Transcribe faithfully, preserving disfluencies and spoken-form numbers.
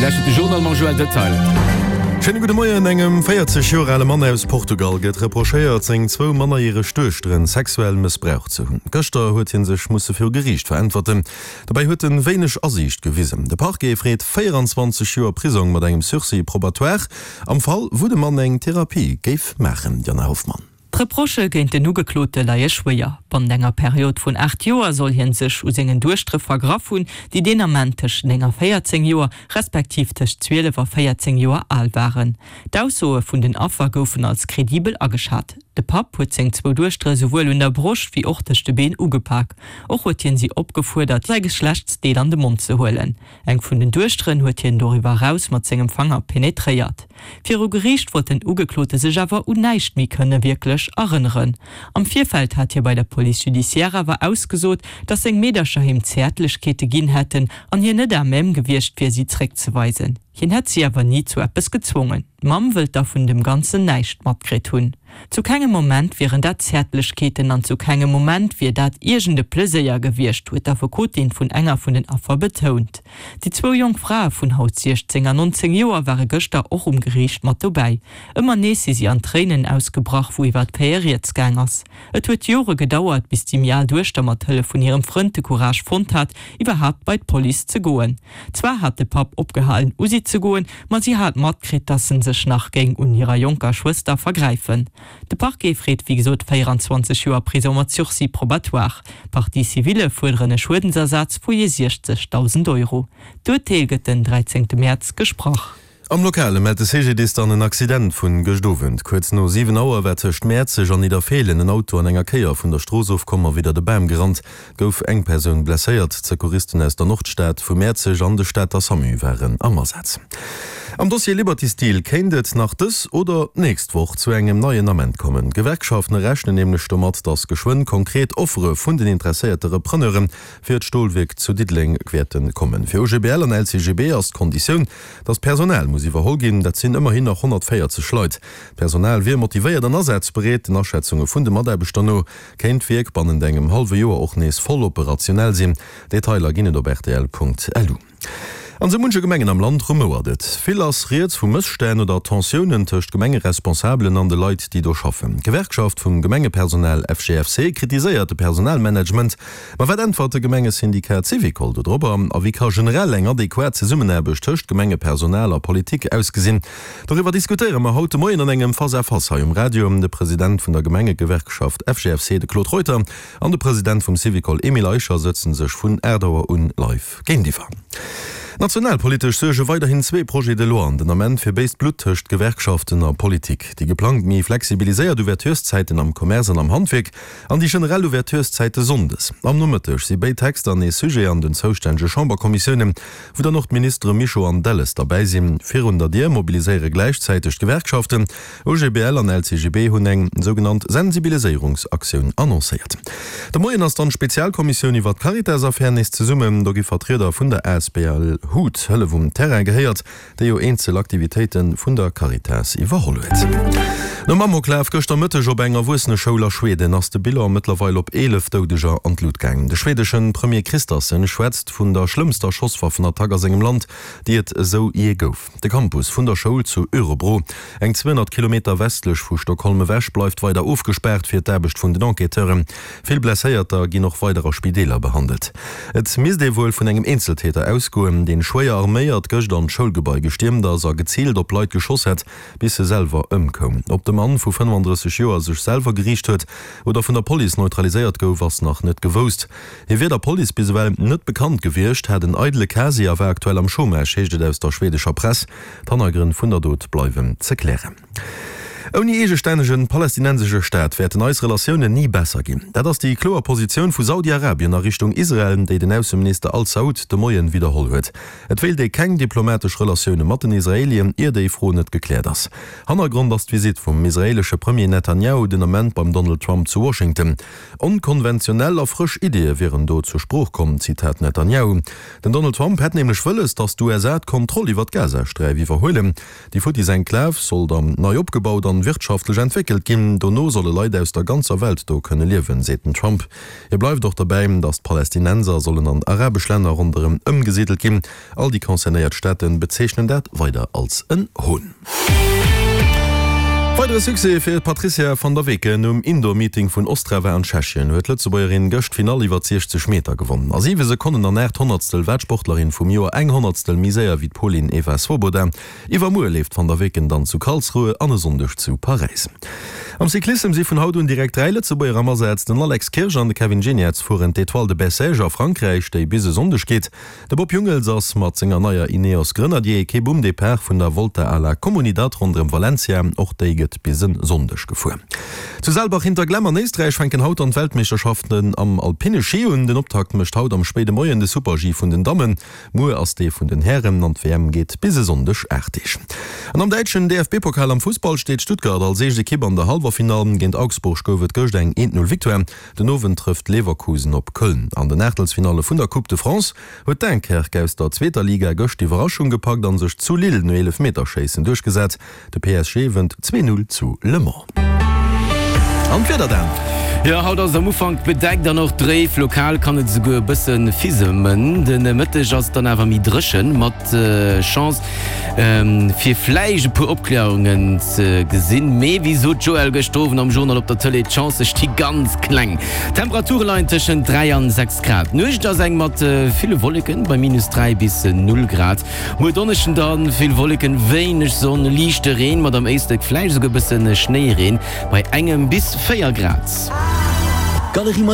lauschtert de Journal mam Joël Detail. Schéine gudde Moien. Engem véierzeg Joer ale Mann aus Portugal gëtt reprochéiert, seng zwou mannerjäreg Duechteren sexuell mëssbraucht ze hunn. Gëschter huet hie sech musse viru Geriicht veräntwerten. Dobäi huet en wéineg Asiicht gewisen. De Parquet freet véieranzwanzeg Joer Prisong mat engem Sursis probatoire am Fall, wou de Mann eng Therapie géif maachen. Diana Hoffmann. D'Reprochë géint den Ugeklote leie schwéier. Bannent enger Period vun aacht Joer soll hie sech u sengen Duechtere vergraff hunn, déi deen Ament tëscht néng a véierzéng Joer, respektiv tëscht zwielef a véierzéng Joer al waren. D'Aussoe vun den Affer goufen als kredibel ageschat. De Papp huet seng zwou Duechtere souwuel un der Broscht wéi och tëscht de Been ugepak. Och huet hien si opgefuerdert, säi Geschlechtsdeel an de Mond ze huelen. Eng vun den Duechteren huet hien doriwwer eraus mat sengem Fanger penetréiert. Viru Geriicht wollt den Ugeklote sech awer un näischt méi kënne wierklech erënneren. Am Virfeld hat hie bei der Police judiciaire awer ausgesot, datt seng Meedercher him Zäertlechkeete ginn hätten an hien net à même gewiescht wier, si zréckzeweisen. Hien hätt si awer ni zu eppes gezwongen. D'Mamm wëllt da vun dem Ganzen näischt matkritt hunn. Zu kengem Moment wieren dat Zäertlechkeeten an zu kengem Moment wier dat iergend e Pleséier gewiescht, huet d'Affekotin vun enger vun den Affer betount. Déi zwou jonk Frae vun haut siechzéng an nonzéng Joer ware gëschter och um Geriicht mat dobäi. Ëmmer nees si si an Tréinen ausgebrach, wou iwwer d'Faite rieds gaang ass. Et huet Jore gedauert, bis déi méi al Duechter mat Hëllef vun hirem Frënd de Courage fonnt hat, iwwerhaapt bei d'Police ze goen. Zwar hat de Papp opgehalen u si ze goen, ma si hat matkritt, dass en sech nach géing un hirer jonker Schwëster vergräifen. De Parquet freet wéi gesot véieranzwanzeg Joer Prisong mat Sursis probatoire. D'Partie civile fuerderen e Schuedensersaz vu jee siechzegdausend Euro. D'Urteel gëtt den dräizéngte Mäerz gesprach. Am Lokale mellt de C G D I S dann en Accident vun gëscht Owend. Kuerz no siwen Auer war tëscht Mäerzeg an Nidderfeelen en Auto an enger Kéier vun der Strooss ofkomm a widder de Bam gerannt. Et gouf eng Persoun blesséiert. D'Secouristen aus der Nordstad, vu Mäerzeg an de Stater SAMU waren am Asaz. Am Dossier Liberty Steel kéint et nach dës oder d'nächst Woch zu engem neien Ament kommen. D'Gewerkschaften rechnen nämlech domat, datt geschwënn konkret Offere vun den interesséierte Repreneure fir d'Stolwierk zu Diddeleng wäerte kommen. Fir O G B L an L C G B ass d'Konditioun, datt d'Personal muss iwwerholl ginn. Dat sinn ëmmerhin nach honnertvéierzeg Leit. D'Personal wier motivéiert an asazbereet. Den Aschätzunge vun de Mataarbechter no kéint d'Wierk bannent engem hallwe Joer och nees voll operationell sinn. Detailer ginn et op R T L Punkt L U. An sou munche Gemengen am Land rumouert et. Vill ass rieds vu Mësstänn oder Tensiounen tëscht Gemengeresponsabelen an de Leit, déi do schaffen. D'Gewerkschaft vum Gemengepersonal F G F C kritiséiert de Personalmanagement. Ma wat äntwert de Gemengesyndikat Syvicol dodropper? A wéi ka generell eng adequat Zesummenaarbecht tëscht Gemengepersonal a Politik ausgesinn? Doriwwer diskutéiere mer haut de Moien an engem Face-à-Face hei um Radio. De President vun der Gemengegewerkschaft F G F C, de Claude Reuter, an de President vum Syvicol Emile Eicher sëtzen sech vun aacht Auer un live géintiwwer. Nationalpolitesch suerge weiderhin zwee Projets de loi den Ament fir béist Blutt tëscht Gewerkschaften a Politik. Déi geplangt méi flexibiliséiert Ouvertureszäiten am Commerce an am Handwierk an déi generell Ouvertureszäite sonndes. Am Nomëtteg si béid Texter nees Sujet an den zoustännege Chamberkommissiounen, wou dann och d'Ministere Mischo an Delles derbäi sinn. Virun der Dier mobiliséiere gläichzäiteg d'Gewerkschaften. O G B L an L C G B hunn eng sougenannt Sensibiliséierungsaktioun annoncéiert. De Moien ass dann d'Spezialkommissioun iwwer d'Caritas-Affär nees zesummen. Do gi Vertrieder vun der A S B L HUT, Hëllef um Terrain, gehéiert, déi jo eenzel Aktivitéite vun der Caritas iwwerholl huet. Nom Amoklaf gëschter Mëtteg op eng Erwuesseneschoul a Schweden ass de Bilan mëttlerweil op eelef Doudeger an d'Lut gaangen. De schwedeschen Premier Kristersson schwätzt vun der schlëmmster Schosswaffenattack a sengem Land, déi et esou jee gouf. De Campus vun der Schoul zu Örebro, eng zweehonnert Kilometer westlech vu Stockholm ewech, bleift weider ofgespaart fir d'Aarbecht vun den Enquêteuren. Vill Blesséierter ginn och weider a Spideeler behandelt. Et misst ee wuel vun engem Eenzeltäter ausgoen, deen schwéier arméiert gëscht an d'Schoulgebai gestiermt ass a geziilt op Leit geschoss hätt, bis se selwer ëmkoum. Ob de Mann vu fënnefandrësseg Joer sech selwer geriicht huet oder vun der Police neutraliséiert gouf, ass nach net gewousst. Hie wier der Police bis ewell net bekannt gewiescht, hat en eidele Casier a war aktuell am Chômage, heescht et aus der schwedescher Press. D'Hannergrënn vun der Dot bleiwen ze klären. Ouni eegestännege palästinensesche Staat wäerten eis Relatiounen ni besser ginn. Dat ass déi kloer Positioun vu Saudi-Arabien a Richtung Israel, déi den Ausseminister Al-Saud de Moien widderholl huet. Et wéilt ee keng diplomatesch Relatioune mat den Israelien, ier déi Fro net gekläert ass. Hannergrond ass d'Visitt vum israeelesche Premier Netanjahu den Ament beim Donald Trump zu Washington. Onkonventionell a frësch Ideeë wieren do zur Sprooch komm, Zitat Netanjahu. Den Donald Trump hätt nämlech wëlles, datt d'U S A d'Kontroll iwwer d'Gazasträif iwwerhuelen. Déi futtis Enklav soll dann nei opgebaut an an wirtschaftlech entwéckelt ginn. Dono solle Leit aus der ganzer Welt do kënne liewen, seet den Trump. Hie bleift och dobäi, datt d'Palästinenser sollen an arabesch Länner ronderëm ëmgesidelt ginn. All déi concernéiert Staate bezeechnen dat weider als en Hohn. Weidere Succès fir d'Patrizia van der Weken. Um Indoor-Meeting vun Ostrava an Tschechien huet d'Lëtzebuergerin gëscht d'Finall iwwer siechzeg Meter gewonnen. A siwe Sekonnen an aacht Honnertstel war d'Sportlerin vum Joer eng Honnertstel méi séier wéi d'Polin Eva Swoboda. Iwwermuer leeft d'Van der Weken dann zu Karlsruhe an e Sonndeg zu Paräis. Am Cyclissem si vun haut un direkt dräi Lëtzebuerger am Asaz. Den Alex Kirsch an de Kevin Geniets fueren d'Etoile de Bessèges a Frankräich, déi bis e Sonndeg geet. De Bob Jungels ass mat senger neier Ineos Grenadier Ekipp um Depart vun der Volta a la Comunidad ronderëm Valencia. Och déi gëtt bis e Sonndeg gefuer. Zu Saalbach-Hinterglemm an Éisträich fänken haut dann d'Weltmeeschterschaften am alpine Schi un. Den Optakt mécht haut am spéide Moien de Super-G vun den Dammen. Muer ass dee vun den Hären an d'WM geet bis e Sonndeg aacht Deeg. An am däitschen D F B-Pokal am Fussball steet Stuttgart als éischt Ekipp an der Hallwerfinall. Géint Augsburg gouf et gëscht eng eent-Null Victoire. Den Owend trëfft Leverkusen op Köln. An den Aachtelsfinalle vun der Coupe de France huet Dunkerque aus der zweeter Liga gëscht d'Iwwerraschung gepackt an sech zu Lille no Eelefmeterschéissen duerchgesat. De P S G wënnt zwee Null zu Le Mans. An d'Wieder dann? Jo, haut ass et am Ufank bedeckt an och dréif. Lokal kann et esouguer e bësse fisemen. De Mëtteg ass et dann awer méi dréchen, mat Chance fir vläicht e puer Opkläerungen ze gesinn. Mee wéi sot d'Joëlle gëschter Owend am Journal op der Tëlee, d'Chancë sti ganz kleng. D'Temperature leien tëschent dräi an sechs Grad. D'Nuecht ass eng mat ville Wolleken, bei minus dräi bis null Grad. Muer Donneschden dann vill Wolleken, wéineg Sonn, liichte Reen, mat am Éislek vläicht esouguer e bësse Schnéireen, bei engem bis véier Grad. Galerie.